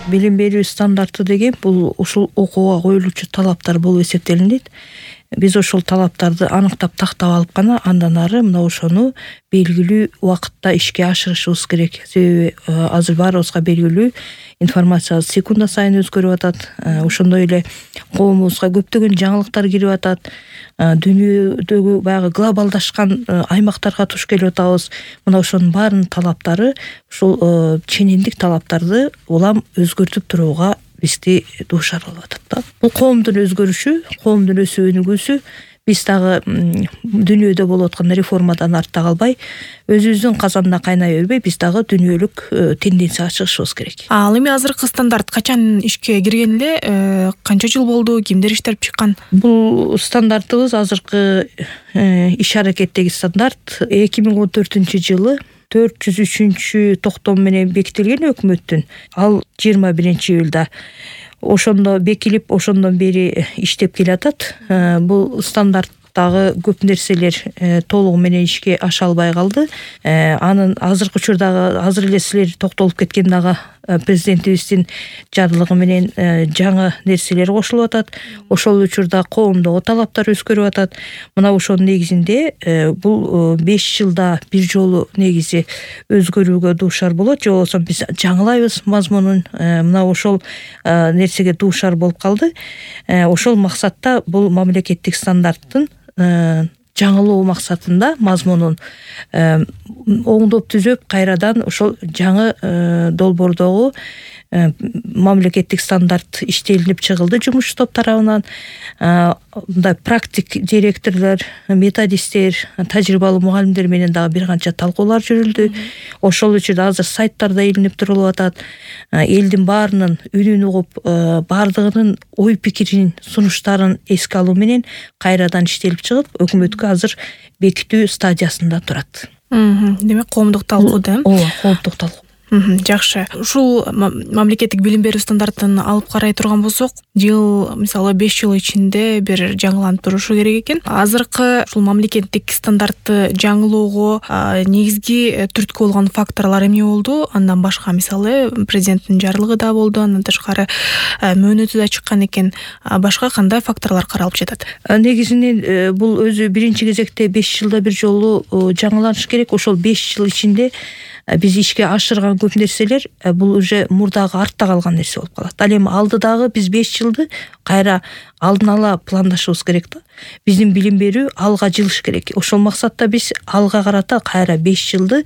Билим берүү стандарты деген бул ушул окууга коюлуучу талаптар болуп эсептелинет. Биз ошол талаптарды аныктап тактап алып гана андан ары мына ошону белгилүү убакытта ишке ашырышыбыз керек. Себеби азыр баарыбызга белгилүү информация секунда сайын өзгөрүп атат. Ошондой эле коомубузга көптөгөн жаңылыктар кирип атат. Дүйнөдөгү баягы глобалдашкан аймактарга туш келип атабыз. Мына ошонун баарынын талаптары ушул ченемдик талаптарды улам өзгөртүп турууга бизди дуушар кылып атат да. Бул коомдун өзгөрүшү, коомдун өсүп өнүгүүсү. Биз дагы дүйнөдө болуп аткан реформадан артта калбай, өзүбүздүн казанда кайнай бербей, биз дагы дүйнөлүк тенденцияга чыгышыбыз керек. Ал эми азыркы стандарт качан ишке кирген эле, канча жыл болду, кимдер иштеп чыккан? Бул стандартыбыз азыркы иш аракеттеги стандарт 2014-жылы 403-токтом менен бекитилген өкмөттүн. Ал 21-июлда ошондо бекилип, ошондон бери иштеп келатат. Бул стандарттагы көп нерселер толугу менен ишке аша албай калды. Анын азыркы учурдагы азыр эле силер токтолуп кеткен дагы президентибиздин жарлыгы менен жаңы нерселер кошулуп атат. Ошол учурда коомдогу талаптар өзгөрүп атат. Мына ошонун негизинде бул 5 жылда бир жолу негизи өзгөрүүгө дуушар болот, же болбосо биз жаңылайбыз мазмунун. Мына ошол нерсеге дуушар болуп калды. Ошол максатта бул мамлекеттик стандарттын жаңылоо максатында мазмунун оңдоп түзөп, кайрадан ошол жаңы долбоордогу мамлекеттик стандарт иштелинип чыгылды жумушчу топ тарабынан. Мындай практик директорлор, методисттер, тажрыйбалуу мугалимдер менен дагы бир канча талкуулар жүрүлдү. Ошол учурда азыр сайттарда илинип турулуп атат. Элдин баарынын үнүн угуп, баардыгынын ой пикирин, сунуштарын эске алуу менен кайрадан иштелип чыгып, өкмөткө азыр бекитүү стадиясында турат. Демек коомдук талкуу да? Ооба, коомдук талкуу. Жакшы. Ушул мамлекеттик билим берүү стандартын алып карай турган болсок, жыл, мисалы 5 жыл ичинде бир жаңыланып турушу керек экен. Азыркы ушул мамлекеттик стандартты жаңылоого негизги түрткү болгон факторлор эмне болду? Андан башка, мисалы, президенттин жарлыгы да болду, андан тышкары мөөнөтү да чыккан экен. Башка кандай факторлор каралып жатат? Негизинен бул өзү биринчи кезекте 5 жылда бир жолу жаңыланыш керек. Ошол 5 жыл ичинде биз ишке ашырган көп нерселер бул уже мурдагы артта калган нерсе болуп калат. Ал эми алдыдагы биз 5 жылды кайра алдын ала пландашыбыз керек да. Биздин билим берүү алга жылыш керек. Ошол максатта биз алга карата кайра 5 жылды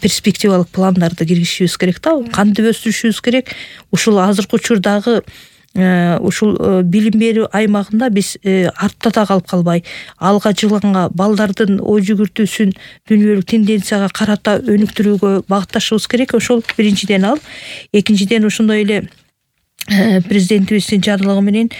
перспективалык пландарды киргизишибиз керек да. Кантип өстүрүшүбүз керек? Ушул азыркы учурдагы ушул билим берүү аймагында биз артта да калып калбай, алга жылганга, балдардын ой жүгүртүүсүн дүйнөлүк тенденцияга карата өнүктүрүүгө багытташыбыз керек. Ошол биринчиден ал. Экинчиден ошондой эле президентибиздин жарлыгы менен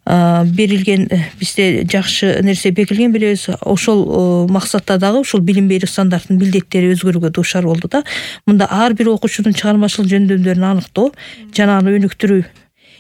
берилген бизде жакшы нерсе бекилген билебиз. Ошол максатта дагы ушул билим берүү стандартынын милдеттери өзгөрүүгө дуушар болду да. Мында ар бир окуучунун чыгармачылык жөндөмдөрүн аныктоо жана аны өнүктүрүү,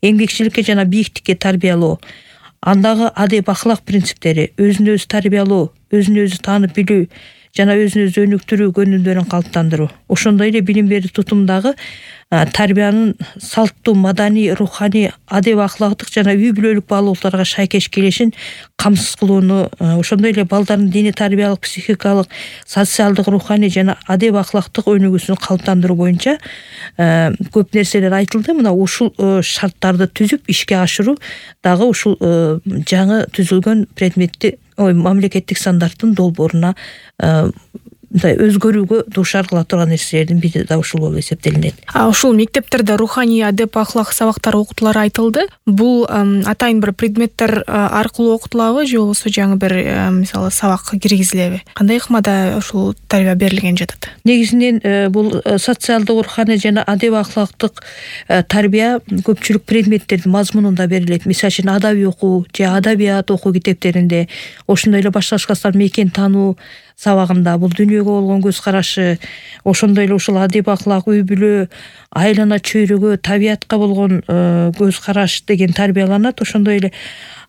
эмгекчиликке жана бийиктикке тарбиялоо, андагы адеп ахлак принциптери, өзүн өзү тарбиялоо, өзүн өзү таанып билүү жана өзүн өзү өнүктүрүү көнүмдөрүн калыптандыруу. Ошондой эле билим берүү тутумдагы тарбиянын салттуу, маданий, руханий, адеп ахлагдык жана үй бүлөлүк баалуулуктарга шайкеш келишин камсыз кылууну, ошондой эле балдардын диний тарбиялык, психикалык, социалдык, руханий жана адеп ахлактык өнүгүүсүн калыптандыруу боюнча көп нерселер айтылды. Мына ушул шарттарды түзүп ишке ашыруу дагы ушул жаңы түзүлгөн предметти мамлекеттик стандарттын долбооруна мындай өзгөрүүгө дуушар кыла турган нерселердин бири да ушул болуп эсептелинет. Ушул мектептерде руханий, адеп, ахлак сабактары окутулары айтылды. Бул атайын бир предметтер аркылуу окутулабы, же болбосо жаңы бир мисалы сабак киргизилеби? Кандай ыкмада ушул тарбия берилген жатат? Негизинен бул социалдык, руханий жана адеп ахлактык тарбия көпчүлүк предметтердин мазмунунда берилет. Мисалы үчүн адабий окуу же адабият окуу китептеринде, ошондой эле башка мекен таануу сабагында бул дүйнөгө болгон көз карашы, ошондой эле ушул адеп ахлак, үй бүлө, айлана чөйрөгө, табиятка болгон көз караш деген тарбияланат. Ошондой эле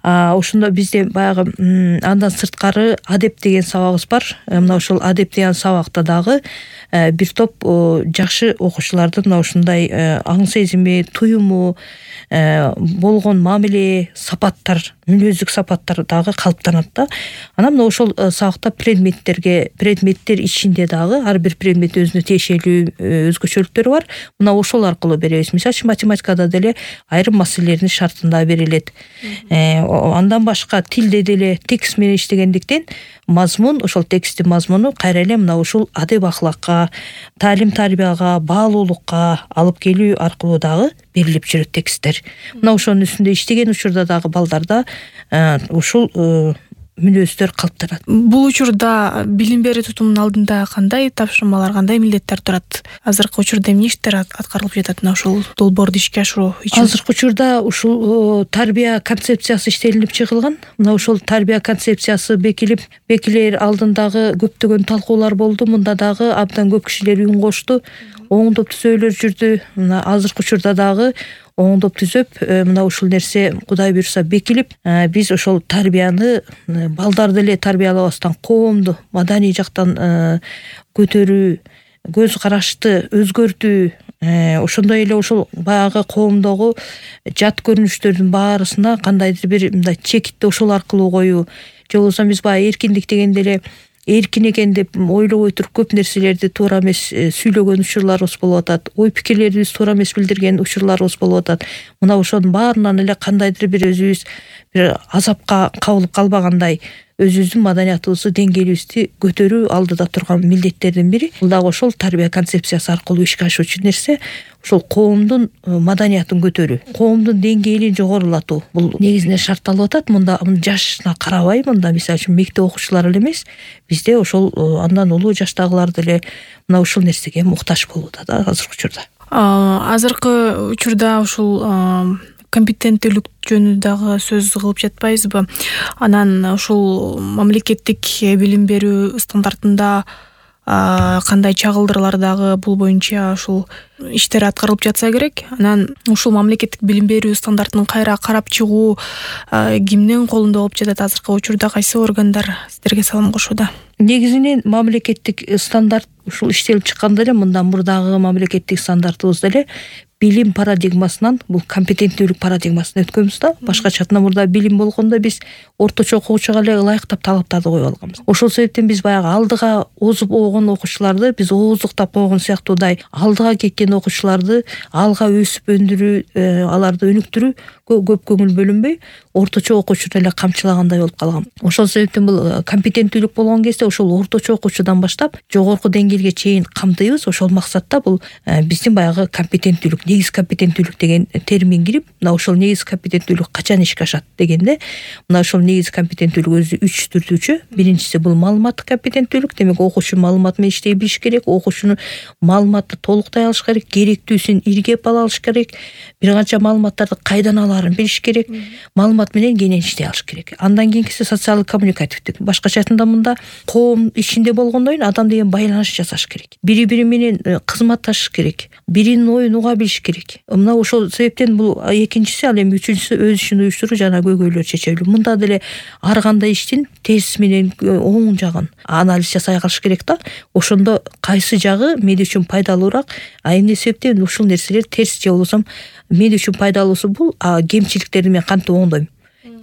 Ошондо бизде баягы андан сырткары адеп деген сабагыбыз бар. Мына ошол адеп деген сабакта дагы бир топ жакшы окуучулардын мына ушундай аң сезими, туюму, болгон мамиле, сапаттар, мүнөздүк сапаттар дагы калыптанат да. Анан мына ошол сабакта предметтер ичинде дагы ар бир предмет өзүнө тиешелүү өзгөчөлүктөрү бар. Мына ошол аркылуу беребиз. Мисалы үчүн математикада деле айрым маселелердин шартында берилет. Андан башка тилде деле текст менен иштегендиктен мазмун, ошол тексттин мазмуну кайра эле мына ушул адеп акылакка, таалим тарбияга, баалуулукка алып келүү аркылуу дагы берилип жүрөт тексттер. Мына ошонун үстүндө иштеген учурда дагы балдарда ушул мүнөздөр калыптанат. Бул учурда билим берүү тутумунун алдында кандай тапшырмалар, кандай милдеттер турат? Азыркы учурда эмне иштер аткарылып жатат мына ушул долбоорду ишке ашыруу үчүн? Азыркы учурда ушул тарбия концепциясы иштелип чыгылган. Мына ушул тарбия концепциясы бекилер алдындагы көптөгөн талкуулар болду. Мында дагы абдан көп кишилер үн кошту. Оңдоп түзөөлөр жүрдү. Мына азыркы учурда дагы оңдоп түзөп, мына ушул нерсе Кудай буйруса бекилип, биз ошол тарбияны балдарды эле тарбиялабастан коомду маданий жактан көтөрүү, көз карашты өзгөртүү, ошондой эле ошол баягы коомдогу жат көрүнүштөрдүн баарысына кандайдыр бир мындай чекитти ошол аркылуу коюу, же болбосо биз баягы эркиндик дегенде эле эркин экен деп ойлобой туруп көп нерселерди туура эмес сүйлөгөн учурларыбыз болуп атат. Ой пикирлерибиз туура эмес билдирген учурларыбыз болуп атат. Мына ошонун баарынан эле кандайдыр бир өзүбүз бир азапка кабылып калбагандай өзүбүздүн маданиятыбызды, деңгээлибизди көтөрүү алдыда турган милдеттердин бири. Бул дагы ошол тарбия концепциясы аркылуу ишке ашуучу нерсе ошол коомдун маданиятын көтөрүү, коомдун деңгээлин жогорулатуу. Бул негизинен шартталып атат. Мында жашына карабай, мында мисалы үчүн мектеп окуучулары эле эмес, бизде ошол андан улуу жаштагылар деле мына ушул нерсеге муктаж болууда да азыркы учурда. Азыркы учурда ушул компетенттүүлүк жөнүндө дагы сөз кылып жатпайбызбы? Анан ушул мамлекеттик билим берүү стандартында кандай чагылдырлар дагы бул боюнча ушул иштер аткарылып жатса керек. Анан ушул мамлекеттик билим берүү стандартын кайра карап чыгуу кимдин колунда болуп жатат азыркы учурда? Кайсы органдар сиздерге салым кошууда? Негизинен мамлекеттик стандарт ушул иштелип чыкканда эле мындан мурдагы мамлекеттик стандартыбызда эле билим парадигмасынан бул компетенттүүлүк парадигмасына өткөнбүз да. Башкача айтқанда мурда билим болгондо биз орточо окуучуга эле ылайыктап талаптарды коюп алганбыз. Ошол себептен биз баягы алдыга озуп огон окуучуларды биз ооздуктап койгон сыяктуудай алдыга кеткен окуучуларды алга өсүп өндүрүү, аларды өнүктүрүү көп көңүл бөлүнбөй орточо окуучуну эле камчылагандай болуп калган. Ошол себептен бул компетенттүүлүк болгон кезде ошол орточо окуучудан баштап жогорку деңгээлге чейин камтыйбыз. Ошол максатта бул биздин баягы компетенттүүлүк, негиз компетенттүүлүк деген термин кирип, мына ошол негиз компетенттүүлүк качан ишке ашат дегенде, мына ошол негиз компетенттүүлүк өзү 3 түрдүүчү. Биринчиси бул маалыматтык компетенттүүлүк, демек окуучу маалымат менен иштей билиш керек, окуучунун маалыматты толуктай алыш керек, керектүүсүн иргеп ала алыш керек, бир канча маалыматтарды кайдан алаарын билиш керек, маалымат менен кенен иштей алыш керек. Андан кийинкиси социалдык коммуникативдик. Башкача айтканда мында коом ичинде болгондон кийин адам деген байланыш жасаш керек. Бири-бири менен кызматташыш керек, биринин оюн уга билиш керек. Мына ошол себептен бул экинчиси, ал эми үчүнчүсү өз ишин уюштуруу жана көйгөйлөр чечелүү. Мында деле ар кандай иштин терс менен оң жагын анализ жасай алыш керек да. Ошондо кайсы жагы мен үчүн пайдалуураак, эмне себептен ушул нерселер терс же болбосо мен үчүн пайдалуусу бул, кемчиликтерди мен кантип оңдойм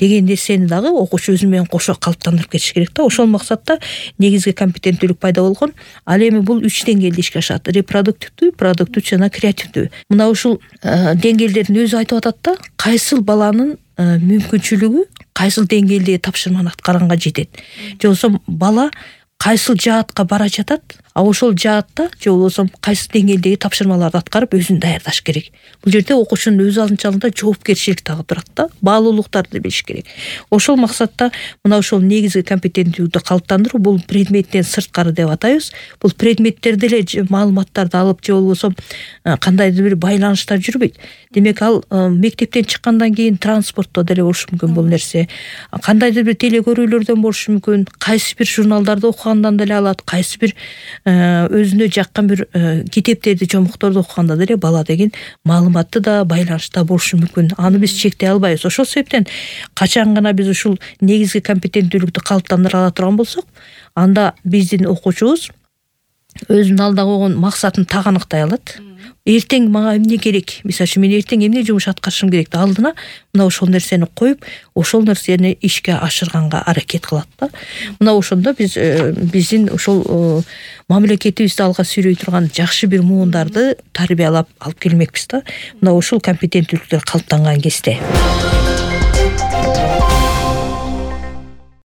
деген нерсени дагы окуучу өзү менен кошо калыптандырып кетиш керек да. Ошол максатта негизги компетенттүүлүк пайда болгон. Ал эми бул 3 деңгээлде ишке ашат: репродуктивдүү, продуктивдүү жана креативдүү. Мына ушул деңгээлдердин өзү айтып атат да, кайсыл баланын мүмкүнчүлүгү кайсыл деңгээлдеги тапшырманы аткарганга жетет. Же болбосо бала кайсыл жаатка бара жатат, ошол жаатта же болбосо кайсы деңгээлдеги тапшырмаларды аткарып өзүн даярдаш керек. Бул жерде окуучунун өз алдынчалыгында жоопкерчилик дагы турат да, баалуулуктарды билиш керек. Ошол максатта мына ошол негизги компетенттүүлүктү калыптандыруу, бул предметтен сырткары деп атайбыз. Бул предметтерде эле маалыматтарды алып же болбосо кандайдыр бир байланыштар жүрбөйт. Демек ал мектептен чыккандан кийин транспортто деле болушу мүмкүн бул нерсе. Кандайдыр бир телекөрүүлөрдөн болушу мүмкүн, кайсы бир журналдарды окугандан деле алат, кайсы бир өзүнө жаккан бир китептерди, жомукторду окуганда деле бала деген маалыматты да байланышта болушу мүмкүн. Аны биз чектей албайбыз. Ошол себептен качан гана биз ушул негизги компетенттүүлүктү калыптандыра ала турган болсок, анда биздин окуучубуз өзүнүн алдына койгон максатын так аныктай алат. Эртең мага эмне керек? Мисалы үчүн мен эртең эмне жумуш аткарышым керек? Алдына мына ошол нерсени коюп, ошол нерсени ишке ашырганга аракет кылат да. Мына ошондо биздин ошол мамлекетибизди алга сүйрөй турган жакшы бир муундарды тарбиялап алып келмекпиз да. Мына ушул компетенттүүлүктөр калыптанган кезде.